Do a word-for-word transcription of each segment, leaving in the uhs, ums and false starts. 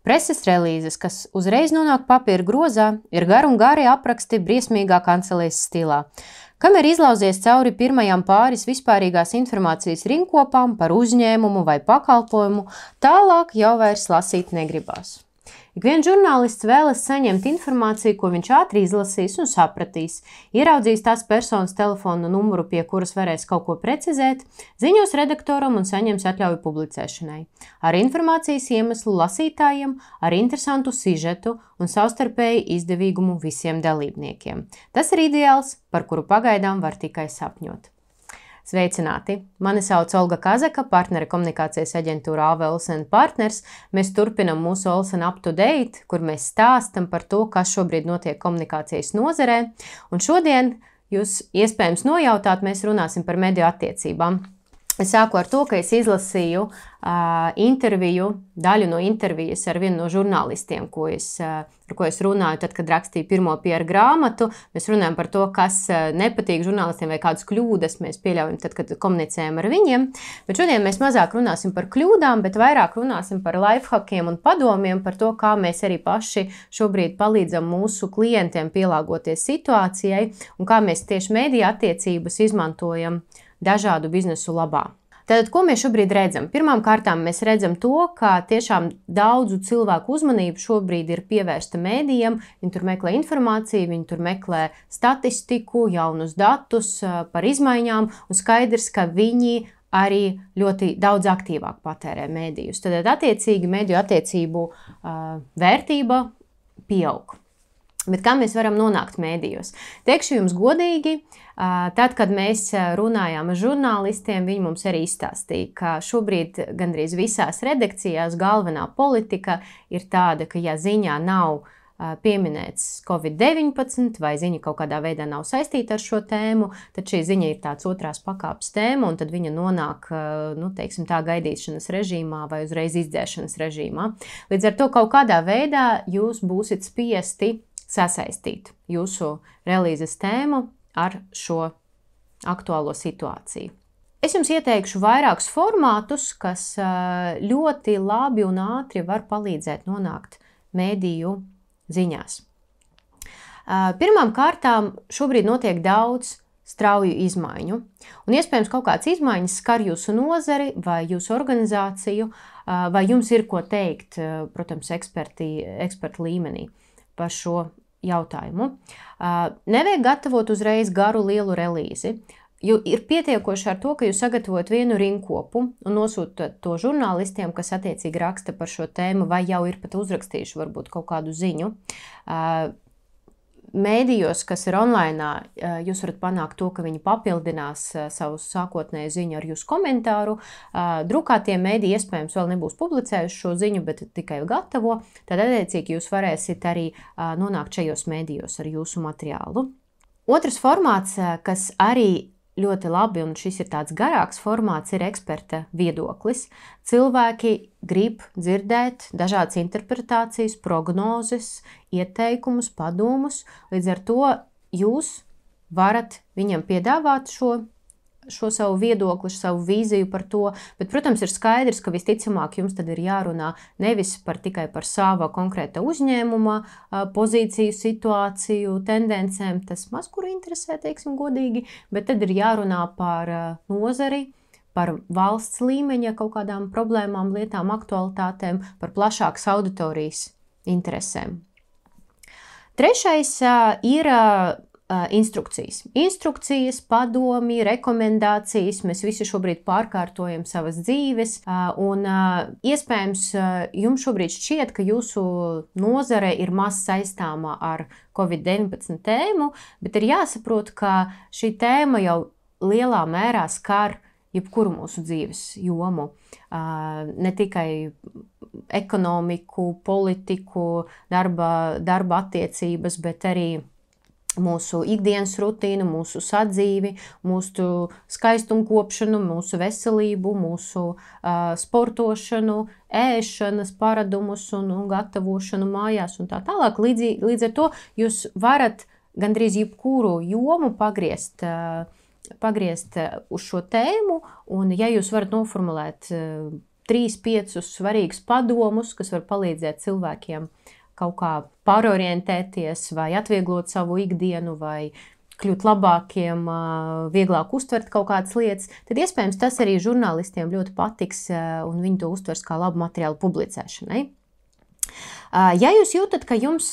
Preses relīzes, kas uzreiz nonāk papīra grozā, ir gari un gari apraksti briesmīgā kancelēs stilā. Kamēr izlauzies cauri pirmajām pāris vispārīgās informācijas rinkopām par uzņēmumu vai pakalpojumu, tālāk jau vairs lasīt negribās. Ik viens žurnālists vēlas saņemt informāciju, ko viņš ātri izlasīs un sapratīs, ieraudzīs tās personas telefonu numuru, pie kuras varēs kaut ko precizēt, ziņos redaktoram un saņems atļauju publicēšanai. Ar informācijas iemeslu lasītājiem, ar interesantu sižetu un savstarpēji izdevīgumu visiem dalībniekiem. Tas ir ideāls, par kuru pagaidām var tikai sapņot. Sveicināti! Mani sauc Olga Kazaka, partnere komunikācijas aģentūra A V Olsen Partners. Mēs turpinam mūsu Olsen Up to Date, kur mēs stāstam par to, kas šobrīd notiek komunikācijas nozarē. Un šodien jūs iespējams nojautāt, mēs runāsim par mediju attiecībām. Es sāku ar to, ka es izlasīju uh, interviju, daļu no intervijas ar vienu no žurnālistiem, ko es, uh, ar ko es runāju, tad, kad rakstīju pirmo P R grāmatu. Mēs runājam par to, kas uh, nepatīk žurnālistiem vai kādas kļūdas mēs pieļaujam tad, kad komunicējam ar viņiem. Bet šodien mēs mazāk runāsim par kļūdām, bet vairāk runāsim par lifehackiem un padomiem, par to, kā mēs arī paši šobrīd palīdzam mūsu klientiem pielāgoties situācijai un kā mēs tieši mediju attiecības izmantojam dažādu biznesu labā. Tātad, ko mēs šobrīd redzam? Pirmām kārtām mēs redzam to, ka tiešām daudzu cilvēku uzmanību šobrīd ir pievērsta mēdījiem. Viņi tur meklē informāciju, viņi tur meklē statistiku, jaunus datus par izmaiņām, un skaidrs, ka viņi arī ļoti daudz aktīvāk patērē mēdījus. Tātad, attiecīgi, mediju attiecību uh, vērtība pieaug. Bet kā mēs varam nonākt mēdījos? Teikšu jums godīgi, tad, kad mēs runājām ar žurnālistiem, viņi mums arī izstāstīja, ka šobrīd gandrīz visās redakcijās galvenā politika ir tāda, ka ja ziņā nav pieminēts Covid deviņpadsmit vai ziņa kaut kādā veidā nav saistīta ar šo tēmu, tad šī ziņa ir tāds otrās pakāpes tēma, un tad viņa nonāk, nu, teiksim tā, gaidīšanas režīmā vai uzreiz izdzēšanas režīmā. Līdz ar to kaut kādā veidā jūs būsiet spiesti sasaistīt jūsu relīzes tēmu ar šo aktuālo situāciju. Es jums ieteikšu vairākus formātus, kas ļoti labi un ātri var palīdzēt nonākt mēdīju ziņās. Pirmām kārtām šobrīd notiek daudz strauju izmaiņu, un iespējams kaut kāds izmaiņas skar jūsu nozari vai jūsu organizāciju, vai jums ir ko teikt, protams, eksperti, eksperti līmenī par šo jautājumu. Nevajag gatavot uzreiz garu lielu relīzi, jo ir pietiekoši ar to, ka jūs sagatavojat vienu rinkopu un nosūtat to žurnālistiem, kas attiecīgi raksta par šo tēmu vai jau ir pat uzrakstījuši varbūt kaut kādu ziņu. Mēdījos, kas ir online, jūs varat panākt to, ka viņi papildinās savu sākotnēju ziņu ar jūsu komentāru. Drukātie mēdīji iespējams vēl nebūs publicējuši šo ziņu, bet tikai gatavo. Tad, attiecīgi, jūs varēsiet arī nonākt šajos mēdījos ar jūsu materiālu. Otrs formāts, kas arī ļoti labi, un šis ir tāds garāks formāts, ir eksperta viedoklis. Cilvēki grib dzirdēt dažādas interpretācijas, prognozes, ieteikumus, padomus. Līdz ar to jūs varat viņam piedāvāt šo, šo savu viedokli, savu vīziju par to. Bet, protams, ir skaidrs, ka visticamāk jums tad ir jārunā nevis par tikai par sava konkrēta uzņēmuma pozīciju, situāciju, tendencēm. Tas maz kuru interesē, teiksim godīgi, bet tad ir jārunā par nozari, par valsts līmeņa kaut kādām problēmām, lietām, aktualitātēm, par plašākas auditorijas interesēm. Trešais ir instrukcijas. Instrukcijas, padomi, rekomendācijas, mēs visi šobrīd pārkārtojam savas dzīves, un iespējams jums šobrīd šķiet, ka jūsu nozare ir maz saistāma ar Covid deviņpadsmit tēmu, bet ir jāsaprot, ka šī tēma jau lielā mērā skar jebkuru mūsu dzīves jomu. Ne tikai ekonomiku, politiku, darba, darba attiecības, bet arī mūsu ikdienas rutīnu, mūsu sadzīvi, mūsu skaistumkopšanu, mūsu veselību, mūsu uh, sportošanu, ēšanas paradumus un, un gatavošanu mājās un tā tālāk. Līdz, līdz ar to jūs varat gandrīz jebkuru jomu pagriezt, uh, pagriezt uz šo tēmu, un ja jūs varat noformulēt uh, trīs, piecus svarīgus padomus, kas var palīdzēt cilvēkiem kaut kā pārorientēties vai atvieglot savu ikdienu vai kļūt labākiem, vieglāk uztvert kaut kādas lietas, tad iespējams tas arī žurnālistiem ļoti patiks un viņi to uztvers kā labu materiālu publicēšanai. Ja jūs jūtat, ka jums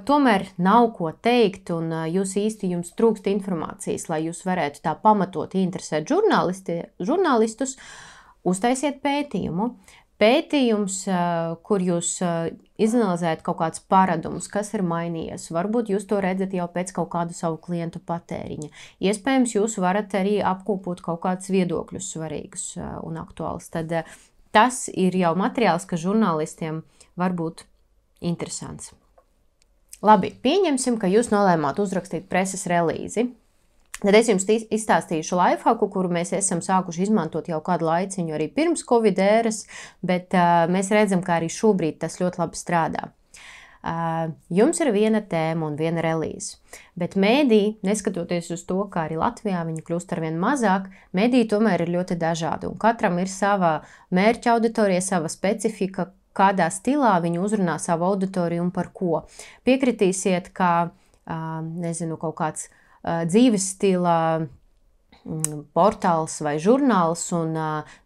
tomēr nav ko teikt un jūs īsti jums trūkst informācijas, lai jūs varētu tā pamatot interesēt žurnālistus, uztaisiet pētījumu. Pētījums, kur jūs izanalizējat kaut kādus paradumus, kas ir mainījies. Varbūt jūs to redzat jau pēc kaut kādu savu klientu patēriņa. Iespējams, jūs varat arī apkopot kaut kādus viedokļus svarīgus un aktuālus. Tad tas ir jau materiāls, kas žurnālistiem var būt interesants. Labi, pieņemsim, ka jūs nolēmāt uzrakstīt preses relīzi. Tad es jums izstāstīšu lifehacku, kuru mēs esam sākuši izmantot jau kādu laiciņu arī pirms Covid ēras, bet uh, mēs redzam, ka arī šobrīd tas ļoti labi strādā. Uh, jums ir viena tēma un viena relīze, bet mēdī, neskatoties uz to, ka arī Latvijā viņi kļūst arvien mazāk, mēdī tomēr ir ļoti dažādi, un katram ir sava mērķa auditorija, sava specifika, kādā stilā viņi uzrunā savu auditoriju un par ko. Piekritīsiet, ka, uh, nezinu, kaut kāds dzīves stila portāls vai žurnāls un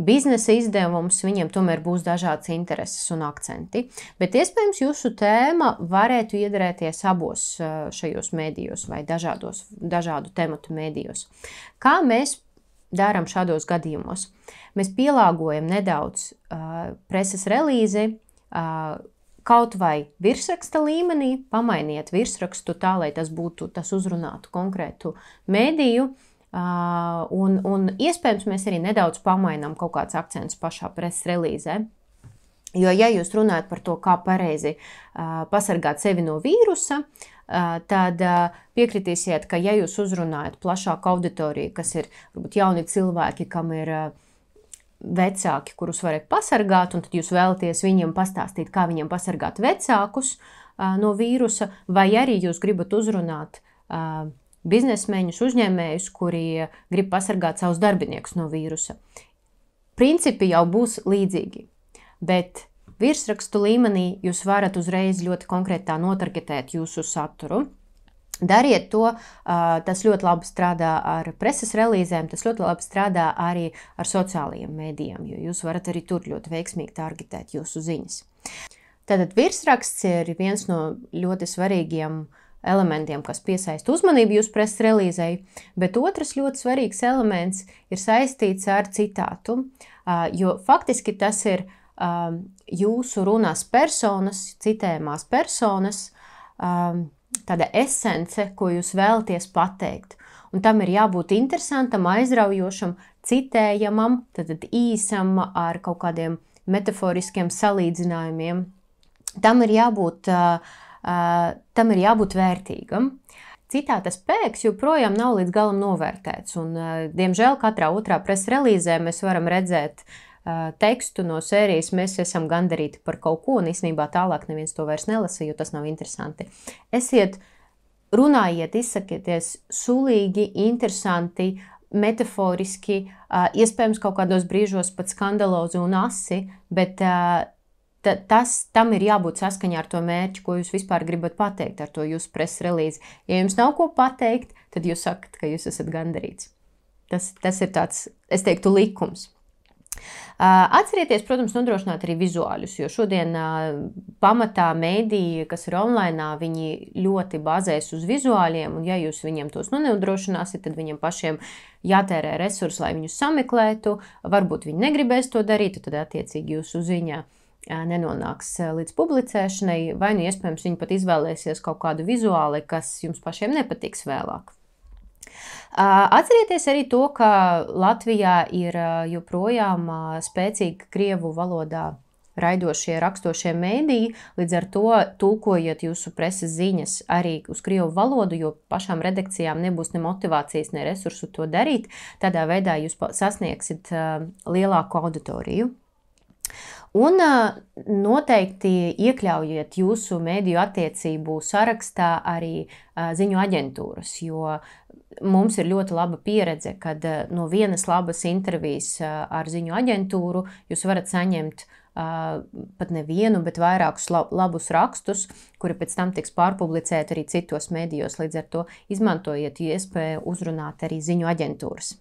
biznesa izdevums, viņiem tomēr būs dažādas intereses un akcenti. Bet iespējams jūsu tēma varētu iedarēties abos šajos mēdījos vai dažādos, dažādu tematu mēdījos. Kā mēs darām šādos gadījumos? Mēs pielāgojam nedaudz uh, preses relīzi, uh, kaut vai virsraksta līmenī, pamainiet virsrakstu tā, lai tas būtu, tas uzrunātu konkrētu mēdīju, un, un iespējams mēs arī nedaudz pamainām kaut kāds akcents pašā preses relīzē. Jo, ja jūs runājat par to, kā pareizi pasargāt sevi no vīrusa, tad piekritīsiet, ka ja jūs uzrunājat plašāku auditoriju, kas ir varbūt jauni cilvēki, kam ir vecāki, kurus varat pasargāt, un tad jūs vēlaties viņiem pastāstīt, kā viņiem pasargāt vecākus uh, no vīrusa, vai arī jūs gribat uzrunāt uh, biznesmeņus, uzņēmējus, kuri grib pasargāt savus darbiniekus no vīrusa. Principi jau būs līdzīgi, bet virsrakstu līmenī jūs varat uzreiz ļoti konkrētā notargetēt jūsu saturu. Dariet to, tas ļoti labi strādā ar preses relīzēm, tas ļoti labi strādā arī ar sociālajiem mēdījiem, jo jūs varat arī tur ļoti veiksmīgi targetēt jūsu ziņas. Tātad virsraksts ir viens no ļoti svarīgiem elementiem, kas piesaista uzmanību jūsu preses relīzei, bet otrs ļoti svarīgs elements ir saistīts ar citātu, jo faktiski tas ir jūsu runās personas, citējumās personas, tāda esence, ko jūs vēlaties pateikt. Un tam ir jābūt interesantam, aizraujošam, citējamam, tad īsam ar kaut kādiem metaforiskiem salīdzinājumiem. Tam ir jābūt, uh, uh, tam ir jābūt vērtīgam. Citāta spēks joprojām nav līdz galam novērtēts. Un, uh, diemžēl, katrā otrā preses relīzē mēs varam redzēt uh, tekstu no sērijas, mēs esam gandarīti par kaut ko, un īstenībā tālāk neviens to vairs nelasa, jo tas nav interesanti. Esiet, runājiet, izsakieties sulīgi, interesanti, metaforiski, uh, iespējams kaut kādos brīžos pat skandalozi un asi, bet uh, tas, tam ir jābūt saskaņā ar to mērķi, ko jūs vispār gribat pateikt ar to jūsu preses relīzi. Ja jums nav ko pateikt, tad jūs sakat, ka jūs esat gandarīts. Tas, tas ir tāds, es teiktu, likums. Atcerieties, protams, nodrošināt arī vizuāļus, jo šodien pamatā mēdīji, kas ir online, viņi ļoti bazēs uz vizuāļiem, un ja jūs viņiem tos nodrošināsiet, tad viņiem pašiem jātērē resursi, lai viņus sameklētu, varbūt viņi negribēs to darīt, tad attiecīgi jūsu ziņā nenonāks līdz publicēšanai, vai nu iespējams viņi pat izvēlēsies kaut kādu vizuāli, kas jums pašiem nepatiks vēlāk. Atcerieties arī to, ka Latvijā ir joprojām spēcīgi krievu valodā raidošie, rakstošie mēdīji, līdz ar to tulkojiet jūsu preses ziņas arī uz krievu valodu, jo pašām redakcijām nebūs ne motivācijas, ne resursu to darīt. Tādā veidā jūs sasniegsit lielāku auditoriju. Un noteikti iekļaujiet jūsu mēdīju attiecību sarakstā arī ziņu aģentūras, jo mums ir ļoti laba pieredze, kad no vienas labas intervijas ar ziņu aģentūru jūs varat saņemt uh, pat nevienu, bet vairākus labus rakstus, kuri pēc tam tiks pārpublicēti arī citos medijos. Līdz ar to izmantojiet iespēju uzrunāt arī ziņu aģentūras.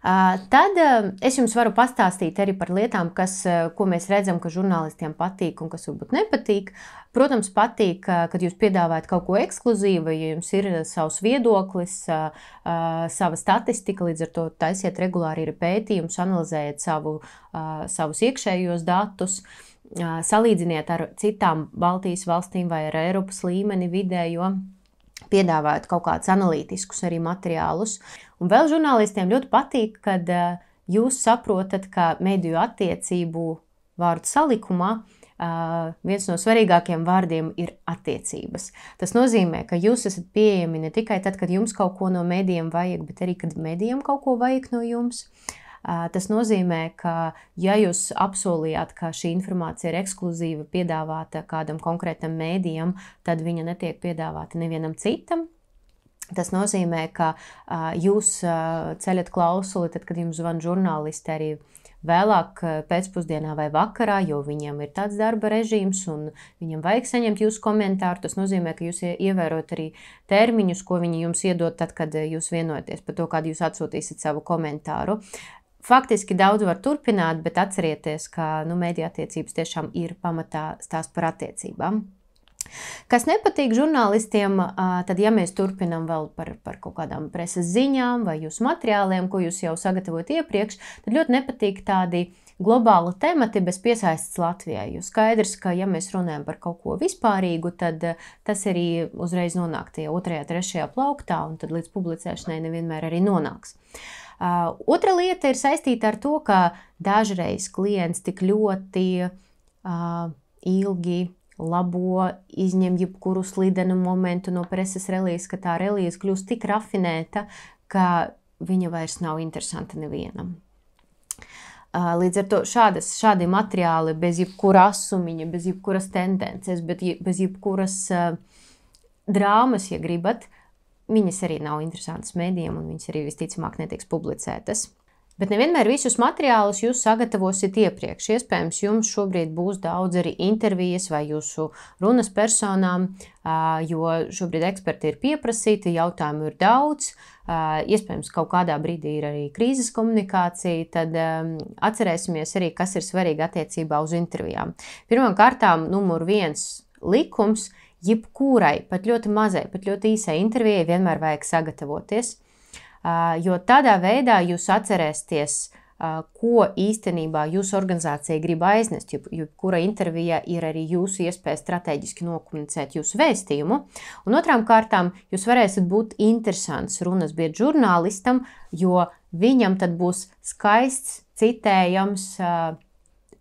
Uh, tad uh, es jums varu pastāstīt arī par lietām, kas, uh, ko mēs redzam, ka žurnālistiem patīk un kas varbūt nepatīk. Protams, patīk, uh, kad jūs piedāvājat kaut ko ekskluzīvu, ja jums ir savs viedoklis, uh, uh, sava statistika, līdz ar to taisiet regulāri ir pētījums, analizējiet savu, uh, savus iekšējos datus, uh, salīdziniet ar citām Baltijas valstīm vai ar Eiropas līmeni vidējo, piedāvājot kaut kādus analītiskus arī materiālus. Un vēl žurnālistiem ļoti patīk, kad uh, jūs saprotat, ka mediju attiecību vārdu salikumā uh, viens no svarīgākajiem vārdiem ir attiecības. Tas nozīmē, ka jūs esat pieejami ne tikai tad, kad jums kaut ko no medijiem vajag, bet arī, kad medijiem kaut ko vajag no jums. Uh, tas nozīmē, ka ja jūs apsolījāt, ka šī informācija ir ekskluzīva piedāvāta kādam konkrētam mēdījam, tad viņa netiek piedāvāta nevienam citam. Tas nozīmē, ka uh, jūs uh, ceļat klausuli, tad, kad jums zvan žurnālisti arī vēlāk pēcpusdienā vai vakarā, jo viņiem ir tāds darba režīms un viņam vajag saņemt jūsu komentāru. Tas nozīmē, ka jūs ievērot arī termiņus, ko viņi jums iedod tad, kad jūs vienojaties par to, kādu jūs atsūtīsiet savu komentāru. Faktiski daudz var turpināt, bet atcerieties, ka nu, mediju attiecības tiešām ir pamatā stāsts par attiecībām. Kas nepatīk žurnālistiem, tad, ja mēs turpinām vēl par, par kaut kādām preses ziņām vai jūsu materiāliem, ko jūs jau sagatavojat iepriekš, tad ļoti nepatīk tādi globāli temati bez piesaistes Latvijai. Jo skaidrs, ka ja mēs runājam par kaut ko vispārīgu, tad tas arī uzreiz nonāk tie otrajā, trešajā plauktā, un tad līdz publicēšanai nevienmēr arī nonāks. Uh, otra lieta ir saistīta ar to, ka dažreiz klients tik ļoti uh, ilgi labo, izņem jebkuru slidenu momentu no preses relīzes, ka tā relīze kļūst tik rafinēta, ka viņa vairs nav interesanta nevienam. Uh, līdz ar to šādas, šādi materiāli bez jebkura asumiņa, bez jebkuras tendences, bet bez jebkuras uh, drāmas, ja gribat, viņas arī nav interesantas mēdījiem un viņas arī visticamāk netiks publicētas. Bet nevienmēr visus materiālus jūs sagatavosiet iepriekš. Iespējams, jums šobrīd būs daudz arī intervijas vai jūsu runas personām, jo šobrīd eksperti ir pieprasīti, jautājumu ir daudz. Iespējams, kaut kādā brīdī ir arī krīzes komunikācija, tad atcerēsimies arī, kas ir svarīgi attiecībā uz intervijām. Pirmām kārtām numur viens likums. Jebkurai, pat ļoti mazai, pat ļoti īsai intervijai vienmēr vajag sagatavoties, jo tādā veidā jūs atcerēsieties, ko īstenībā jūsu organizācija grib aiznest, jo jebkura intervija ir arī jūsu iespēja strateģiski nokomunicēt jūsu vēstījumu. Un otrām kārtām jūs varēsiet būt interesants runas biedrs žurnālistam, jo viņam tad būs skaists, citējams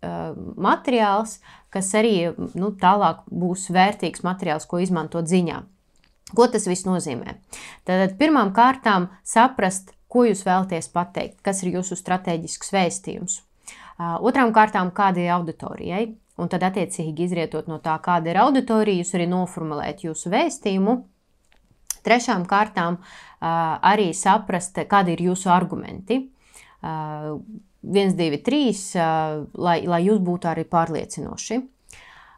materiāls, kas arī nu, tālāk būs vērtīgs materiāls, ko izmantot ziņā. Ko tas viss nozīmē? Tad pirmām kārtām saprast, ko jūs vēlaties pateikt, kas ir jūsu strateģisks vēstījums. Otrām kārtām, kāda ir auditorijai, un tad attiecīgi izrietot no tā, kāda ir auditorija, jūs arī noformulēt jūsu vēstījumu. Trešām kārtām arī saprast, kādi ir jūsu argumenti. viens, divi, trīs, lai, lai jūs būtu arī pārliecinoši.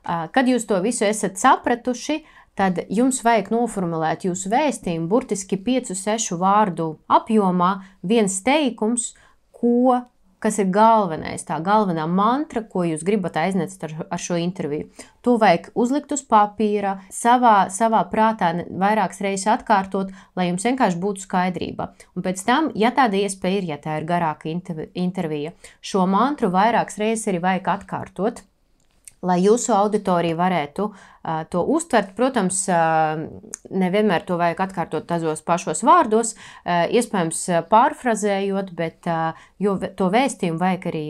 Kad jūs to visu esat sapratuši, tad jums vajag noformulēt jūsu vēstījumu burtiski piecu, sešu vārdu apjomā, viens teikums, ko, kas ir galvenais, tā galvenā mantra, ko jūs gribat aiznest ar, ar šo interviju. To vajag uzlikt uz papīra, savā, savā prātā vairākas reizes atkārtot, lai jums vienkārši būtu skaidrība. Un pēc tam, ja tāda iespēja ir, ja tā ir garāka intervija, šo mantru vairākas reizes arī vajag atkārtot, lai jūsu auditorija varētu uh, to uztvert. Protams, uh, nevienmēr to vajag atkārtot tazos pašos vārdos, uh, iespējams pārfrazējot, bet uh, jo to vēstījumu vajag arī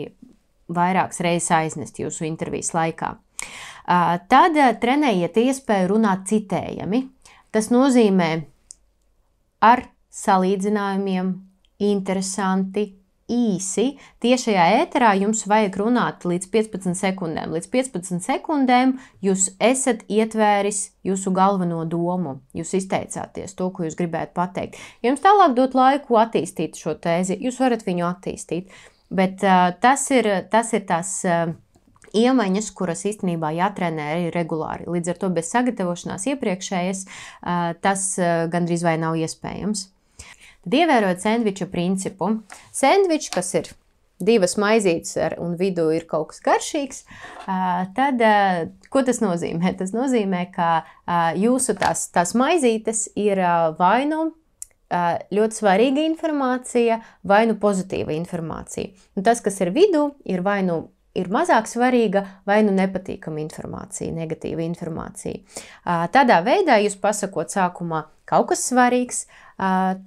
vairākas reizes aiznest jūsu intervijas laikā. Uh, tad uh, trenējiet iespēju runāt citējami. Tas nozīmē ar salīdzinājumiem, interesanti, īsi. Tiešajā ēterā jums vajag runāt līdz piecpadsmit sekundēm. Līdz piecpadsmit sekundēm jūs esat ietvēris jūsu galveno domu. Jūs izteicāties to, ko jūs gribētu pateikt. Ja jums tālāk dot laiku attīstīt šo tēzi, jūs varat viņu attīstīt. Bet uh, tas ir, tas ir tās uh, iemaņas, kuras īstenībā jātrenē arī regulāri. Līdz ar to bez sagatavošanās iepriekšējas uh, tas uh, gandrīz vai nav iespējams. Tad ievērojot sendviča principu. Sendvičs, kas ir divas maizītes ar, un vidū ir kaut kas garšīgs, tad ko tas nozīmē? Tas nozīmē, ka jūsu tās, tās maizītes ir vai nu ļoti svarīga informācija, vai nu pozitīva informācija. Un tas, kas ir vidū, ir vai nu ir mazāk svarīga vai nu nepatīkama informācija, negatīva informācija. Tādā veidā jūs pasakot sākumā kaut kas svarīgs,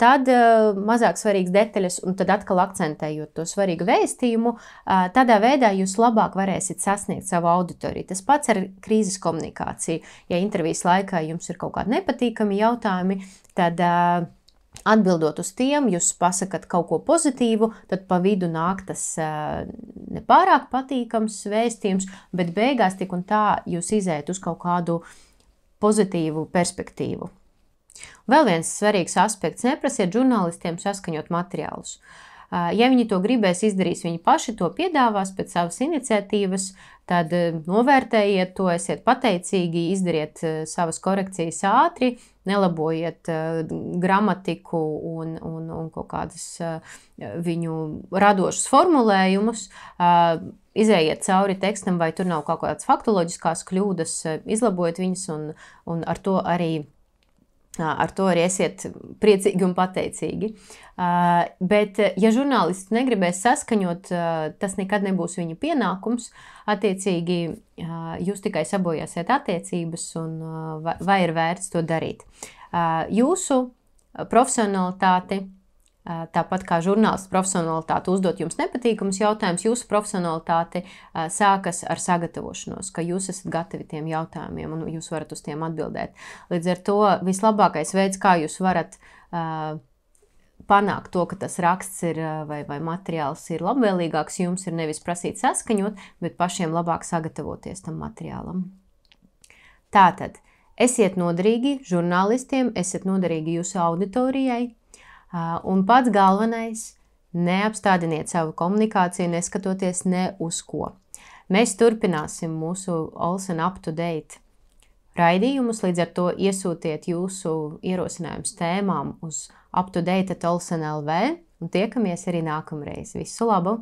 tad mazāk svarīgas detaļas un tad atkal akcentējot to svarīgu vēstījumu, tādā veidā jūs labāk varēsiet sasniegt savu auditoriju. Tas pats ar krīzes komunikāciju. Ja intervijas laikā jums ir kaut kādi nepatīkami jautājumi, tad atbildot uz tiem, jūs pasakat kaut ko pozitīvu, tad pa vidu nāk tas nepārāk patīkams vēstījums, bet beigās tik un tā jūs izējat uz kaut kādu pozitīvu perspektīvu. Vēl viens svarīgs aspekts – neprasiet žurnālistiem saskaņot materiālus. Ja viņi to gribēs, izdarīs viņi paši, to piedāvās pēc savas iniciatīvas, tad novērtējiet to, esiet pateicīgi, izdariet savas korekcijas ātri, nelabojiet gramatiku un, un, un kaut kādas viņu radošas formulējumus, izējiet cauri tekstam, vai tur nav kaut kādas faktoloģiskās kļūdas, izlabojiet viņas un, un ar to arī Ar to arī esiet priecīgi un pateicīgi. Bet, ja žurnālists negribēs saskaņot, tas nekad nebūs viņa pienākums. Attiecīgi, jūs tikai sabojāsiet attiecības un vai ir vērts to darīt. Jūsu profesionalitāti, tāpat kā žurnālists profesionalitāte uzdot jums nepatīkamus jautājumus, jūsu profesionalitāte sākas ar sagatavošanos, ka jūs esat gatavi tiem jautājumiem un jūs varat uz tiem atbildēt. Līdz ar to vislabākais veids, kā jūs varat uh, panākt to, ka tas raksts ir vai, vai materiāls ir labvēlīgāks, jums ir nevis prasīt saskaņot, bet pašiem labāk sagatavoties tam materiālam. Tātad, esiet noderīgi žurnālistiem, esiet noderīgi jūsu auditorijai, un pats galvenais, neapstādiniet savu komunikāciju, neskatoties ne uz ko. Mēs turpināsim mūsu Olsen Up to Date raidījumus, līdz ar to iesūtiet jūsu ierosinājumus tēmām uz up to date at olsen dot l v un tiekamies arī nākamreiz. Visu labu!